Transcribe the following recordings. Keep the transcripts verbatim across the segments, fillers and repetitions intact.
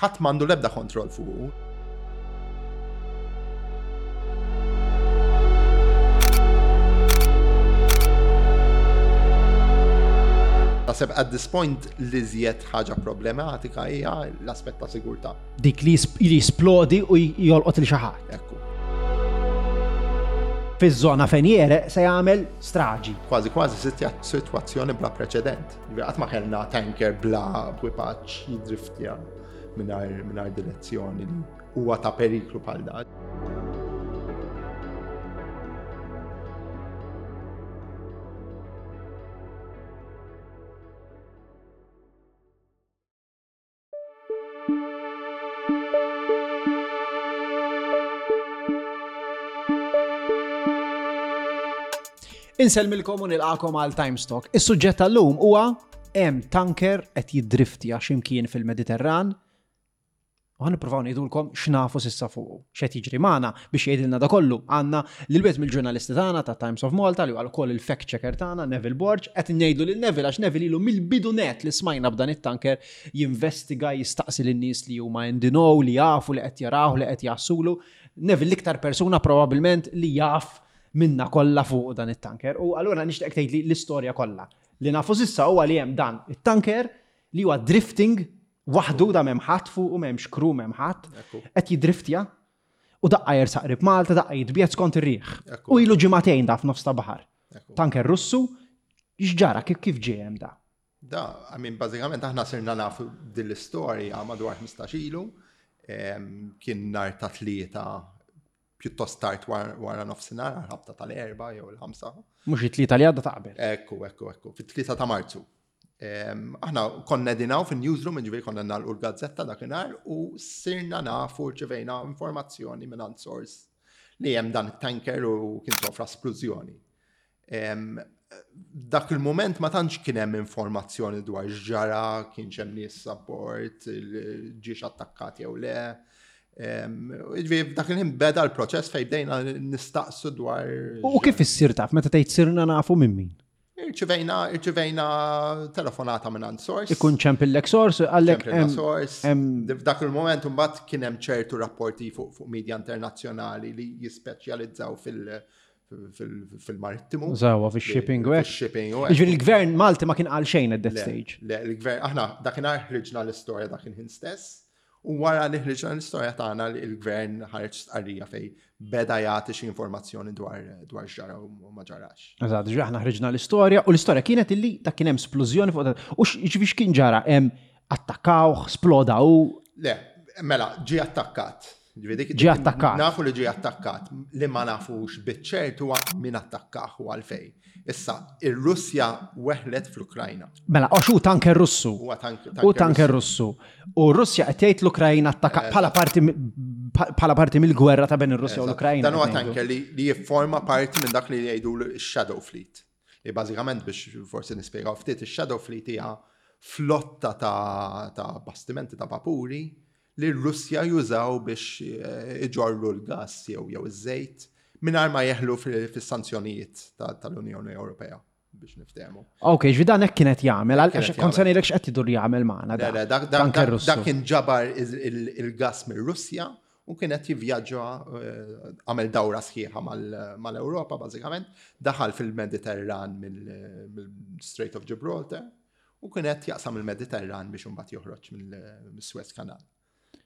Ħadd m'għandu l-ebda kontroll fuqu. Naħseb at this point li żjed ħaġa problematika hija l-aspett ta' sigurtà. Dik li jisplodi u jolqot il xi ħadd. Ekku. Fiż-żona fejn jereq se jagħmel straġi. Kważi kważi sitwazzjoni bla preċedent. Qatt ma kellna tanker bla ekwipaġġ jidriftja mingħajr direzzjoni li huwa ta' periklu bħal dan. Insellmilkom u nilqakom għal Times Talk. Is-suġġett tal-lum huwa hemm tanker qed jiddriftja x'imkien fil-Mediterran. U ħa nippruvaw ngħidulkom x'nafu s'issa fuqu. X'qed jiġri magħna biex jgħidilna da kollu. Għandna lil wieħed mill-ġurnalisti tagħna ta' Times of Malta li huwa wkoll il-fact checker tagħna Neville Borg, qed ngħidu lil Neville għax Neville ilu mill-bidu net li smajna b'dan it-tanker jinvestiga, jistaqsi lin-nies li huma in the know, li jafu li qed jaraw, li qed jassulu. Neville l-iktar persuna probabbilment li jaf minna kollha fuq dan it-tanker. U allura nixtieq tgħidli l-istorja kollha. Li nafu s'issa huwa li hemm dan it-tanker li huwa drifting waħdu, da m'hemm ħadd fuq u m'hemmx crew, m'hemm ħadd, qed jidriftja u daqqa jersaq qrib Malta, daqqa jitbiegħed skont ir-riħ. U ilu ġimagħtejn da f'nofs ta' baħar. Tanker Russu, x'ġara, kif kif ġie hemm da? Da, I mean, bażikament aħna sirna nafu din l-istorja madwar ħmistax ilu, kien nhar ta' tlieta pjuttost tard wara nofsinhar, ħabta tal-erba' jew il-ħamsa. Mhux it-tlieta li għadda ta' qabel. Ekku, ekku, ekku, fit-tlieta ta' Marzu. Aħna konna dinaw fin-newsroom, ġifieri konna nagħlqu l-gazzetta dakinhar u sirna nafu rċevejna informazzjoni minn source li hemm dan it-tanker u kien sofra splużjoni. Dak il-moment ma tantx kien hemm informazzjoni dwar x'ġara, kienx hemm nies abbord, ġiex attakkat jew le. Ġifieri f'dak il-ħin beda l-proċess fejn bdejna nistaqsu dwar. U kif issir taf meta tgħid sirna nafu minn min? Irċivejna, irċivejna telefonata minn għand source. Ikun ċempillek source, għallek ċempillna source. F'dak il-moment imbagħad kien hemm ċertu rapporti fuq fuq media internazzjonali li jispeċjalizzaw fil- fil-marittimu. Zawa, fil-shipping u hekk. Fil-shipping u hekk. Ġifieri il-gvern Malti ma kien qal xejn at that stage. Le, il-gvern, aħna dakinhar ħriġna l-istorja dak il-ħin stess. U wara li ħriġna l-istorja tagħna il-gvern ħareġ stqarrija fej beda jagħti xi informazzjoni dwar dwar x'ġara u ma ġarax. Eżatt, ġifieri aħna ħriġna l-istorja u l-istorja kienet illi dak kien hemm splużjoni fuq u ġifieri x'kien ġara hemm attakkawh, sploda u Le, mela ġie attakkat. Ġie attakkat. Nafu li ġie attakkat, li ma nafux biċ-ċert huwa min attakkah u għalfejn. Issa, ir-Russja weħlet fl-Ukrajna. Mela, għax hu tanker Russu. Huwa U tanker Russu. U Russja qed tgħid l-Ukrajna attakka bħala parti bħala parti mill-gwerra ta' bejn ir-Russja u l-Ukrajna. Dan huwa tanker li jifforma parti minn dak li jgħidu l-Shadow Fleet. Li bażikament biex forsi nispjegaw ftit, ix-Shadow Fleet hija flotta ta' bastimenti ta' vapuri li r-Russja jużaw biex iġorru l-gas jew jew iż-żejt mingħajr ma jeħlu fis-sanzjonijiet tal-Unjoni Ewropea biex niftehmu. Ok, ġifieri dan hekk kienet jagħmel, għaliex kont se ngħidlek x'qed idur jagħmel magħna da. Dak kien ġabar il-gas mir-Russja u kien qed jivvjaġġa, għamel dawra sħiħa mal-Ewropa bażikament, daħal fil-Mediterran mill-Strait of Gibraltar u kien qed jaqsam il-Mediterran biex imbagħad joħroġ mill-Suez Canal.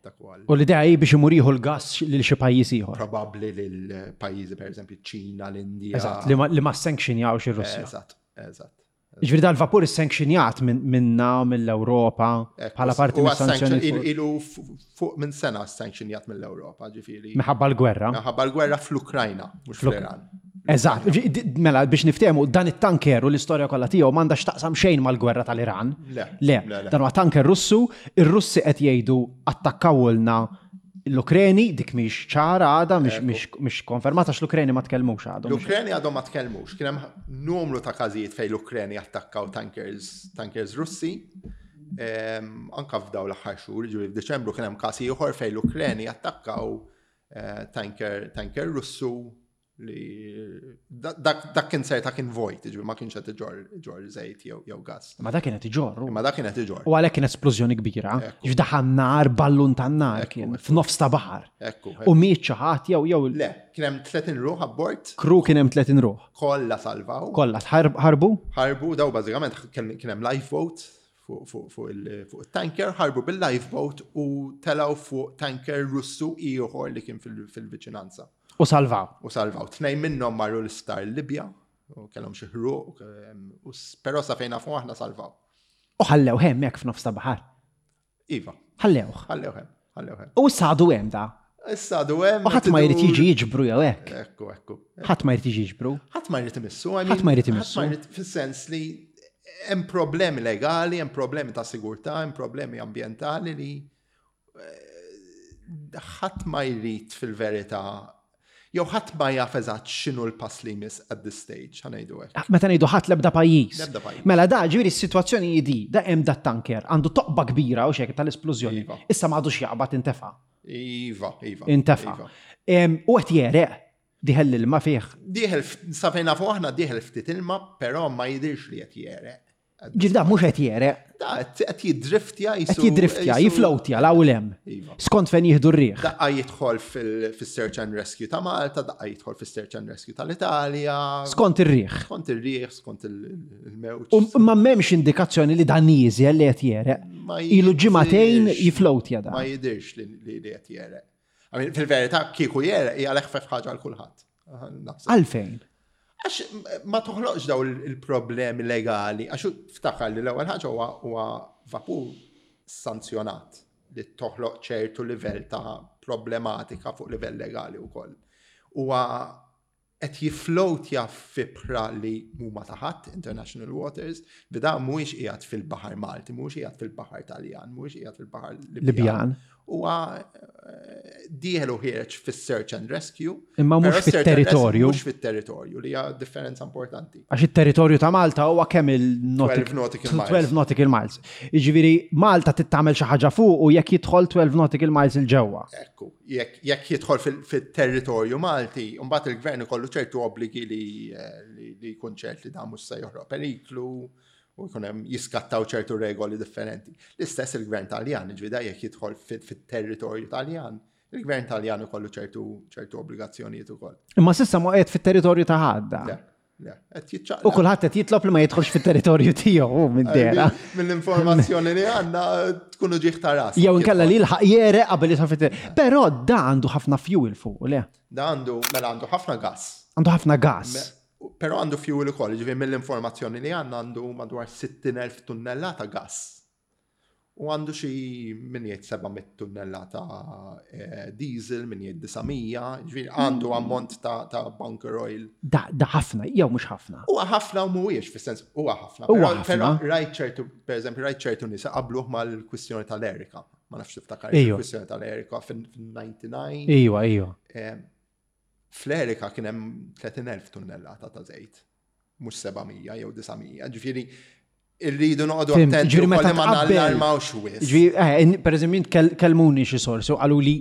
U l-idea hi biex imur jieħu l-gas lil xi pajjiż ieħor. Probabbli lil pajjiżi pereżempju ċ-Ċina, l-Indja. Eżatt, li ma sanctionjawx ir-Russja. Eżatt, eżatt. Ġifieri dal-vapur issanctionjat minna mill-Ewropa bħala parti mis-sanzjoni. Ilu fuq minn sena sanctionjat mill-Ewropa, ġifieri. Minħabba l-gwerra. Minħabba l-gwerra fl-Ukrajna, mhux fl-Iran. Eżatt, mela biex niftehmu dan it-tanker u l-istorja kollha tiegħu m'għandha x'taqsam xejn mal-gwerra tal-Iran. Le, le, dan huwa tanker Russu, ir-Russi qed jgħidu attakkawulna l-Ukreni, dik mhix ċara għadha, mhix konfermata għax l-Ukreni ma tkellmux għadhom. L-Ukreni għadhom ma tkellmux, kien hemm numru ta' każijiet fejn l-Ukreni attakkaw tankers, tankers Russi. Anka f'daw l-aħħar xhur, ġifieri f'Diċembru kien hemm każ ieħor fejn l-Ukreni attakkaw tanker tanker Russu Li dak dak kien serta kien vojt, ġifieri ma kienx qed iġorr iġorr żejt jew jew gas. Ma dak kienet iġorru. Imma dak kien qed iġorr. U għalhekk kien esplużjoni kbira. Ekku. Ġdaħan nar, ballun tan-nar Ekku, kien ekku. f'nofs ta' baħar. Ekku. U miet xi ħadd jew jew Le, kien hemm tletin ruħ abbord, crew kien hemm tletin ruħ. Kollha salvaw. Kollha tħarb- ħarbu? Ħarbu, daw bażikament kien kien hemm lifeboat fuq fuq fuq il- fuq il-tanker, ħarbu bil-lifeboat u telaw fuq tanker Russu ieħor li kien fil- fil-viċinanza. U salvaw. U salvaw. Tnejn minnhom marru l-isptar Libja u kellhom xi ħruq, u s- però sa fejn nafu aħna salvaw. U ħallew hemmhekk f'nofs ta' baħar. Iva, Ħallewh. Ħallew hemm, ħallew hemm. U issa għadu hemm da. Issa għadu hemm. U ħadd ma jrid jiġi jiġbru jew hekk. Ekku, ekku. Ħadd ma jrid jiġi jiġbru. Ħadd ma jrid imissu. I Ħadd mean, ma jrid imissu. Ħadd ma jrid fis-sens li hemm problemi legali, hemm problemi ta' sigurtà, hemm problemi ambjentali li eh, ħadd ma jrid fil-verità jew ħadd ma jaf eżatt x'inhu l-pass li jmiss at this stage, ħa ngħidu hekk. Meta ngħidu ħadd, l-ebda pajjiż. L-ebda pajjiż. Mela da ġifieri s-sitwazzjoni hi di, da hemm da tanker għandu toqba kbira u xek tal-esplużjoni. Iva. Issa ma għadux jaqbad, intefa. Iva, iva. Intefa. Iva. Em, U qed jereq, dieħel l-ilma fih. Dieħel, sa fejn nafu aħna dieħel ftit ilma, però ma jidirx li qed jereq. Ġifieri da mhux qed jereq, Da qed jiddriftja qed jisu. jiddriftja, jisu- jiflowtja 'l hemm. Iva. Skont fejn jieħdu r-riħ. Daqqa jidħol fil-search and rescue ta' Malta, daqqa jidħol fil-search and rescue tal-Italja. Skont ir-riħ. Skont ir-riħ, skont il- il-mewġ. U ma m'hemmx indikazzjoni li dan nieżel, li qed jereq. Ma Ilu ġimagħtejn jidirx- jiflowtja da. Ma jidirx li li li qed jereq. I mean, fil-verità, kieku jereq hija l-eħfef ħaġa għal kulħadd. Naħseb. Għalfejn? Għax ma toħloqx daw il-problemi legali, għax ftakar li l-ewwel ħaġa huwa huwa vapur sanzjonat li toħloq ċertu livell ta' problematika fuq livell legali wkoll. Huwa qed jiflowtja f'ibħra li mhuma ta' ħadd, international waters, bida mhuwiex qiegħed fil-baħar Malti, mhuwiex qiegħed fil-baħar Taljan, mhuwiex qiegħed fil-baħar Libjan. Libjan. Huwa eh, dieħel u ħiereġ fis-search and rescue. Imma mhux però search and fit-territorju. rescue mhux fit-territorju, li hija differenza importanti. Għax il-territorju ta' Malta huwa kemm il-nautical twelve nautical miles. twelve nautical miles. Jiġifieri Malta tittamel xi ħaġa fuq u jekk jidħol twelve nautical miles 'il ġewwa. Ekku, jekk jekk jidħol fil- fil-territorju Malti, mbagħad il-gvern ikollu ċertu obbligi li eh, li li jkun ċert li dan mhux se joħroq periklu u jkun hemm jiskattaw ċertu regoli differenti. L-istess il-gvern Taljan, ġifieri jekk jidħol fil- fit-territorju Taljan, il-gvern Taljan ikollu ċertu ċertu obbligazzjonijiet ukoll. Imma s'issa ma qiegħed fit-territorju ta' ħadd. Le, le, qed jiċċaqlaq. U kulħadd qed jitlob li ma jidħolx fit-territorju tiegħu minn dera. Mill-informazzjoni li għandna tkunu ġieħ ta' ras. Jew inkella li jilħaq jereq qabel jidħol fit. Però da għandu ħafna fuel fuq, le? Da għandu, mela għandu ħafna gas. Għandu ħafna gas. Però għandu fuel ukoll, ġifieri mill-informazzjoni li għandna għandu madwar sittin elf tunnellata gas. U għandu xi min jgħid seba' mitt tunnellata eh, diesel, min jgħid disa' mija, ġifieri għandu ammont ta', ta bunker oil. Da, da ħafna, jew mhux ħafna? Huwa ħafna u mhuwiex, fis-sens huwa ħafna. Huwa Però- ħafna. Però rajt ċertu, per eżempju, rajt ċertu nisa qabluh mal-kwistjoni tal-Erika. Ma nafx tiftakar Ejju. il-kwistjoni tal-Erika fin-disgħa u disgħin. Iwa, iwa. Eh, Fl-Erika kien hemm tletin elf tunnellata ta' żejt, mhux seba' mija jew disa' mija. Ġifieri irridu noqogħdu Fhimt, attenti ġifieri meta ukoll li ma tqabbel- nallarmawx wisq. Ġifieri, eh, in- per eżempju, int kell- kellmuni xi sorsi u qalu li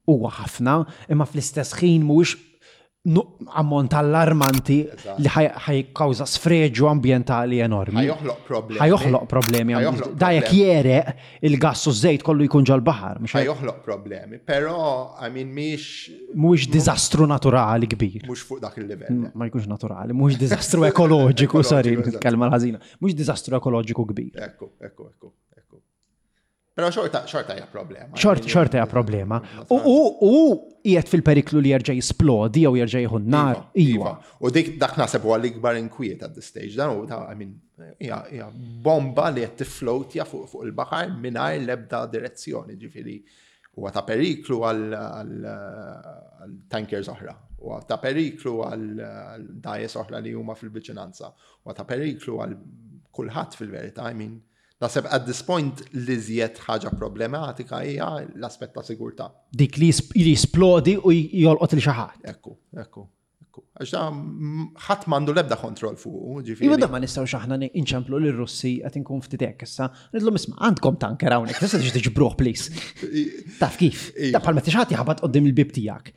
huwa ħafna, imma fl-istess ħin mhuwiex nu- ammont allarmanti Eżatt. li ħaj ħajkawża sfreġu ambjentali enormi. Ħa joħloq problemi. Ħa joħloq problemi. Ħa joħloq Da jekk problemi. jereq il-gass u żejt kollu jkun ġol-baħar, mhux Ħa joħloq problemi, però I mean mhix mhuwiex diżastru naturali kbir. Mhux fuq dak il-livell. Ma jkunx naturali, mhux diżastru ekoloġiku, sorry, Ekoloġiku, eżatt. kelma ħażina. Mhux diżastru ekoloġiku kbir. Ekku, ekku, ekku, ekku. Però xorta xorta hija problema. Xort, xorta hija problema. U u u qiegħed fil-periklu li jerġa' jisplodi jew jerġa' jieħu n-nar. Iwa. U dik dak naħseb huwa l-ikbar inkwiet at this stage. Dan u ta' I mean, hija hija bomba li qed tifflowtja fuq fuq il-baħar mingħajr l-ebda direzzjoni, ġifieri huwa ta' periklu għal għal għal tankers oħra, huwa ta' periklu għal għal dgħajjes oħra li huma fil-viċinanza, huwa ta' periklu għal kulħadd fil-verità, I mean, naħseb at this point li żjed ħaġa problematika hija l-aspett ta' sigurtà. Dik li jisp- li jisplodi u jolqot lil xi ħadd. Ekku, ekku, ekku. Għax da mm, ħadd m'għandu l-ebda kontroll fuq, ġifieri. Iva, da ma nistgħux aħna inċemplu lir-Russi, qed inkun ftit hekk issa. Ngħidlhom, "Isma', għandkom tanker hawnhekk, tista' tiġi tiġbruh, please?" Taf kif? Iva. Da bħal meta xi ħadd jaħbat quddiem il-bib tiegħek.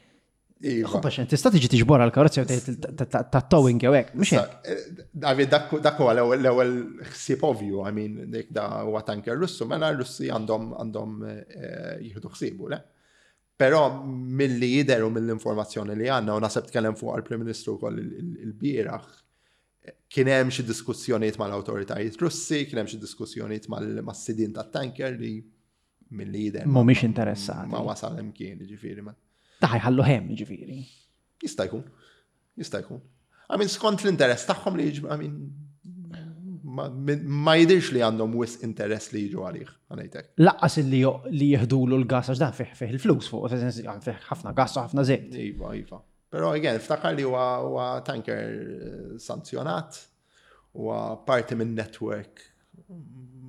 Iva. Għax tista' tiġi tiġbor għal-karozza jew ta' towing jew hekk, mhux hekk. David, dak huwa l-ewwel ħsieb ovvju, I mean, dik da huwa tanker Russu, mela r-Russi għandhom għandhom eh, jieħdu ħsiebu, le? Però milli jidher u mill-informazzjoni li għandna, u naħseb tkellem fuq għal-Prim Ministru wkoll il-bieraħ, kien hemm xi diskussjonijiet mal-awtoritajiet Russi, kien hemm xi diskussjonijiet mas-sidien tat-tanker li milli jidher Mhumiex interessati. Ma wasal imkien, ġifieri ma. Ta' ħa jħallu hemm, ġifieri. Jista' jkun. Jista' jkun. I mean, skont l-interess tagħhom li jiġu, I mean, ma, ma jidirx li għandhom wisq interess li jiġu għalih, ħa ngħidlek. Lanqas li li jihdulu l-gas, għax dan fih fih il-flus fuq, fih ħafna gas u ħafna żejt. Iva, iva. Però again, ftakar li huwa huwa tanker eh, sanzjonat, huwa parti minn network,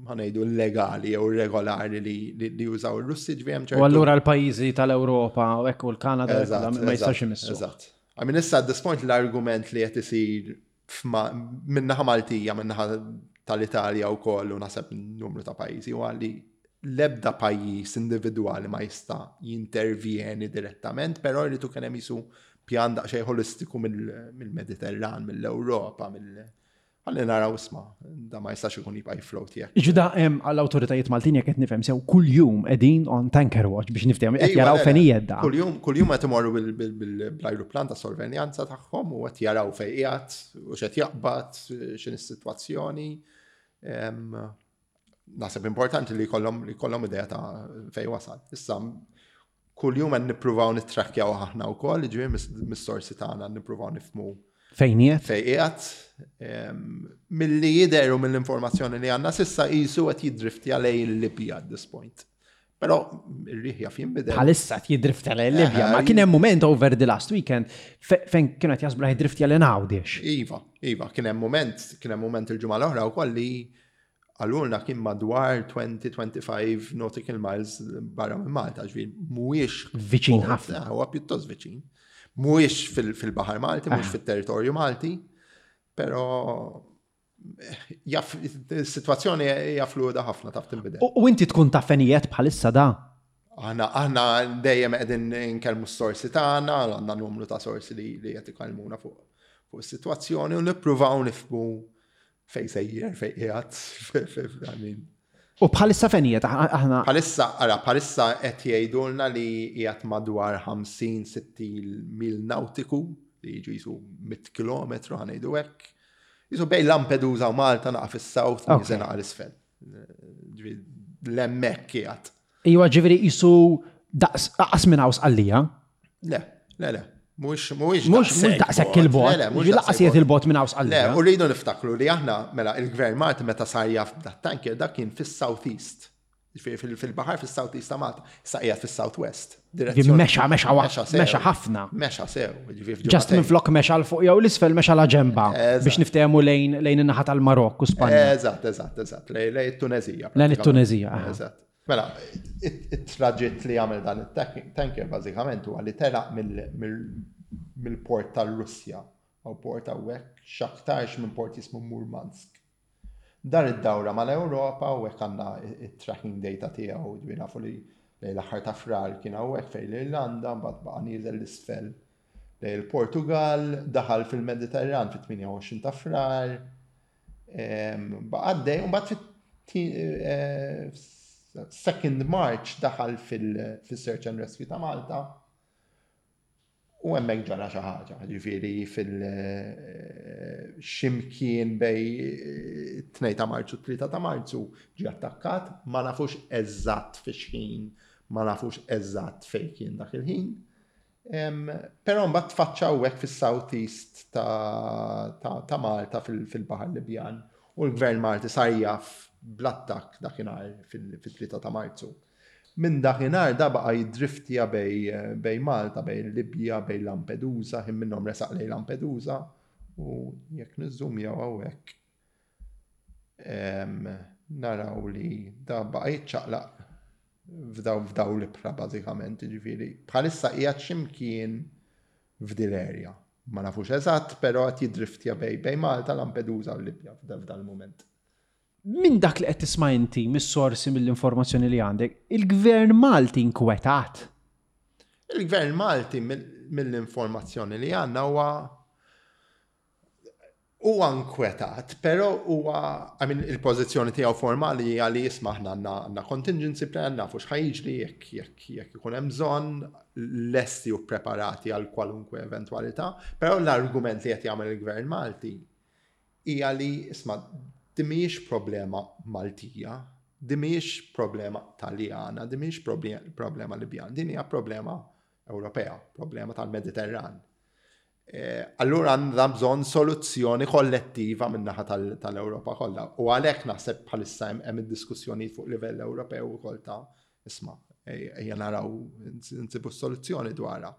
ħa ngħidu, legali jew regolari li, li, li jużaw il-Russi, ġifieri hemm U allura l-pajjiżi tal-Ewropa u hekk u l-Kanada Eżatt, ma jistax eżatt, imissu. Eżatt. I mean, issa at this point l-argument li qed isir f'ma- min-naħa Maltija, min-naħa tal-Italja u koll u naħseb numru ta' pajjiżi huwa li l-ebda pajjiż individwali ma jista' jintervjeni direttament, però jridu kien hemm jisu pjan daqsxejn holistiku mill- mill-Mediterran, mill-Ewropa, mill ħalli naraw, isma', da ma jistax ikun jibqa' jifloat jekk. Iġu da hemm għall-awtoritajiet Maltin, jekk qed nifhem sew, kuljum qegħdin on tanker watch biex niftehmu qed Iva, jaraw le, le. fejn qiegħed da. Kuljum, kuljum qed imorru bil- bil- bil- bl-ajruplan ta' sorveljanza tagħhom u qed jaraw fejn qiegħed u x'qed jaqbad, x'in is-sitwazzjoni. Em, Naħseb importanti li jkollhom li jkollhom idea ta' fejn wasal. Issa kuljum qed nippruvaw nittrakkjaw aħna wkoll, ġifieri mis- mis-sorsi tagħna nippruvaw nifhmu Fejn qiegħed? fejn qiegħed. Em, Milli jidher u mill-informazzjoni li għandna s'issa qisu qed jiddriftja lejn il-Libja at this point. Però ir-riħ jaf jinbidel. Bħalissa qed jiddriftja lejn Libja, ma Eh, kien hemm moment over the last weekend fe- fejn kienu qed jaħsbu li jiddriftja lejn Għawdex. Iva, iva, kien hemm moment, kien hemm moment il-ġimgħa l-oħra wkoll li għalulna kien madwar għoxrin twenty-five nautical miles barra minn Malta, ġifieri mhuwiex Viċin ħafna. Eh, Huwa pjuttost viċin. Mhuwiex fil- fil-baħar Malti, mhuwiex fit-territorju Malti, però eh, jaf, is-sitwazzjoni hija fluida ħafna, taf tinbidel. U u inti tkun taf fejn qiegħed bħalissa da? Aħna aħna dejjem qegħdin nkellmu s-sorsi tagħna, għandna numru ta' sorsi li li qed ikellmuna fuq fuq is-sitwazzjoni u nippruvaw nifhmu fejn sejjer, fejn qiegħed, I mean. U bħalissa fejn qiegħed aħna? Bħalissa, ara, bħalissa qed jgħidulna li qiegħed madwar ħamsin sittin mil nautiku, li jiġu jisu mitt kilometru, ħa ngħidu hekk. Jisu bejn Lampedusa u Malta, naqa fis-south, Ok. nieżel naqa l-isfel. Ġifieri l-hemmhekk qiegħed. Iwa, ġifieri jisu daqs aqas minn hawn Sqallija. Le, le, le. Mhux mhuwiex Mhux mhux daqshekk il-bogħod. Le, le, mhux Ġifieri lanqas qiegħed il-bogħod minn hawn Le, Sqallija. u rridu niftakru li aħna, mela, il-gvern Malti meta sar jaf dat tanker, dak kien fis-South East. Ġifieri fil- fil-baħar fis-South East ta' Malta, issa qiegħed fis-South West. Ġifieri mexa mexa wa- Mexa sew. Mexa ħafna. Mexa sew. Ġifieri Just f'ġimgħatejn. minn flok mexa 'l fuq jew l-isfel, mexa la ġemba Eżatt. biex niftehmu lejn lejn in-naħa tal-Marokk u Spanja. Eżatt, eżatt, eżatt. Lejn lejn it-Tunezija. Lejn it-Tunezija, aha. Eżatt. Mela, it-traġitt li għamel dan it-tanker bażikament huwa li telaq mill-port tal-Russja u port hawnhekk x'aktarx minn port jismu Murmansk. Dar id-dawra mal-Ewropa u hekk għandna it-tracking data tiegħu, ġifieri nafu li lejn l-aħħar ta' Frar kien hawnhekk fejn l-Irlanda, mbagħad baqa' nieżel l-isfel lejn il-Portugal, daħal fil-Mediterran fit-tmienja u għoxrin ta' Frar, em, baqa' għaddej, u mbagħad fit-second March daħal fil-Search and Rescue ta' Malta. U hemmhekk ġara xi ħaġa, ġifieri fil eh, ximkien bejn tnejn ta' Marzu u tlieta ta' Marzu ġie attakkat, ma nafux eżatt fi xħin, ma nafux eżatt fejn kien dak il-ħin. Em, Però mbagħad tfaċċaw hekk fis-South East ta', ta, ta Malta fil- fil-Baħar Libjan u l-Gvern Malti sar jaf bl-attakk dakinhar fil-tlieta ta' Marzu. Minn dakinhar da baqa' jiddriftja bejn bejn Malta, bejn Libja, bejn Lampedusa, ħin minnhom resaq lejn Lampedusa u jekk niżżumjaw hawnhekk em, naraw li da baqa' jiċċaqlaq f'daw f'daw l-ibħra bażikament, ġifieri bħalissa qiegħed x'imkien f'dil area. Ma nafux eżatt, però qed jiddriftja bejn bejn Malta, Lampedusa u Libja f'dal mument. Minn dak li qed tisma' inti, mis-sorsi, mill-informazzjoni li għandek, il-gvern Malti inkwetat. Il-gvern Malti mill-informazzjoni li għandna huwa huwa nkwetat, però huwa, I mean, il-pożizzjoni tiegħu formali hija li isma' aħna għandna contingency plan, nafu x'ħa jiġri jekk jekk jekk ikun hemm bżonn, lesti u preparati għal kwalunkwe eventwalità, però l-argument li qed jagħmel il-gvern Malti hija li isma' din mhijiex problema Maltija, din mhijiex problema Taljana, din mhijiex problema Libjana, din hija problema Ewropea, problema tal-Mediterran. Allura għandna bżonn soluzzjoni kollettiva min-naħa tal-Ewropa kollha. U għalhekk naħseb bħalissa hemm id-diskussjoni fuq livell Ewropew ukoll ta' isma' ejja naraw nsibu soluzzjoni dwarha.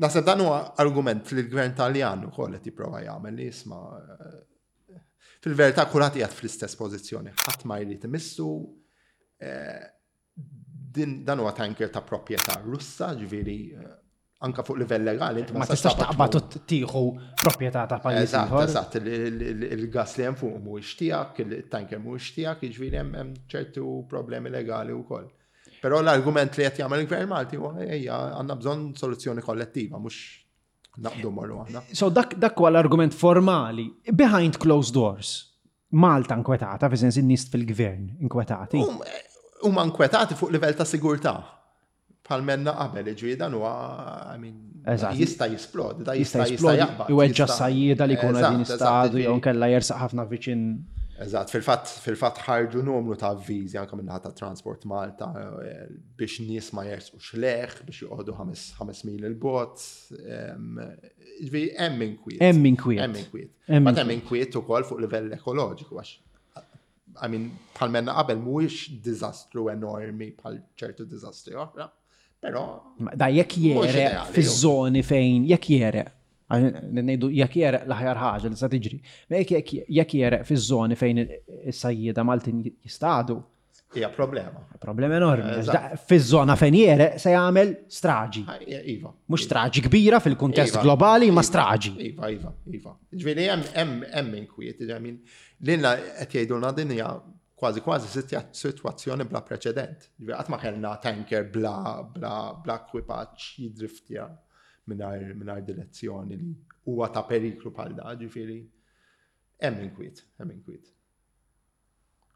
Naħseb dan huwa argument li l-gvern Taljan ukoll qed jipprova jagħmel li isma' fil-verità kulħadd qiegħed fl-istess pożizzjoni, ħadd ma jrid imissu dan huwa tanker ta' proprjetà Russa, ġifieri anka fuq livell legali. Ma tistax taqbad u tieħu proprjetà ta' pajjiż Eżatt, eżatt, il-gas li hemm fuq mhuwiex tiegħek, il-tanker mhuwiex tiegħek, jiġifieri hemm ċertu problemi legali wkoll. Però l-argument li qed jagħmel il-Gvern Malti huwa ejja għandna bżonn soluzzjoni kollettiva, mhux naqbdu morru aħna. So dak dak huwa l-argument formali. Behind closed doors. Malta inkwetata, fi sens in-nies fil-gvern inkwetati. Huma inkwetati fuq livell ta' sigurtà. Bħalma għedna qabel, ġifieri dan huwa, I mean, jista' jisplodi, da jista' jista' jaqbad. Iweġġa sajjieda li jkunu qegħdin jistadu jew nkella jersaq ħafna viċin. Eżatt, fil-fatt fil-fatt ħarġu numru ta' avviżi anke min-naħa ta' Transport Malta biex nies ma jersqux lejh, biex joqogħdu ħames mil il-bogħod. Ġifieri hemm inkwiet. Hemm inkwiet. Hemm inkwiet. Ma hemm inkwiet ukoll fuq livell ekoloġiku għax I mean, bħalma għedna qabel mhuwiex diżastru enormi bħal ċertu diżastri oħra. Però Da jekk jereq fiż-żoni fejn jekk jereq, ngħidu jekk jereq l-aħjar ħaġa li sa tiġri. Ma jekk jekk jereq fiż-żoni fejn is-sajjieda Maltin jistadu. Hija problema. Problema enormi. Fiż-żona fejn jereq se jagħmel straġi. Iva. Mhux straġi kbira fil-kuntest globali, ma straġi. Iva, iva, iva. Ġifieri hemm hemm inkwiet, I mean, lilna qed jgħidulna din hija kważi kważi sitwazzjoni bla preċedent. Ġifieri qatt ma kellna tanker bla bla bla ekwipaġġ jidriftja mingħajr mingħajr direzzjoni li huwa ta' periklu bħal da, ġifieri hemm inkwiet, hemm inkwiet.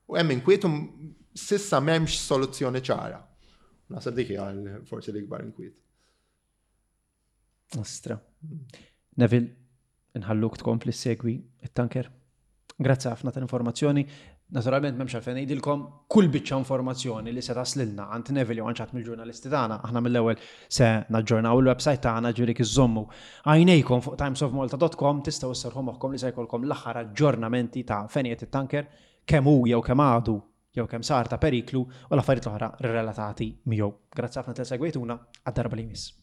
U hemm inkwiet u s'issa m'hemmx soluzzjoni ċara. Naħseb dik hija forsi l-ikbar inkwiet. Ostra. Neville, nħalluk tkompli segwi it-tanker. Grazzi ħafna tal-informazzjoni. Naturalment m'hemmx għalfejn ngħidilkom kull biċċa informazzjoni li se taslilna għand Neville jew għand xi mill-ġurnalisti tagħna, aħna mill-ewwel se naġġornaw il-website tagħna, ġifieri iżommu għajnejkom fuq timesofmalta dot com, tistgħu sserħu moħħkom li se jkollkom l-aħħar aġġornamenti ta' fejn qiegħed it-tanker, kemm hu jew kemm għadu jew kemm sar ta' periklu u l-affarijiet l-oħra relatati miegħu. Grazzi ħafna tal segwejtuna, għad-darba li jmiss.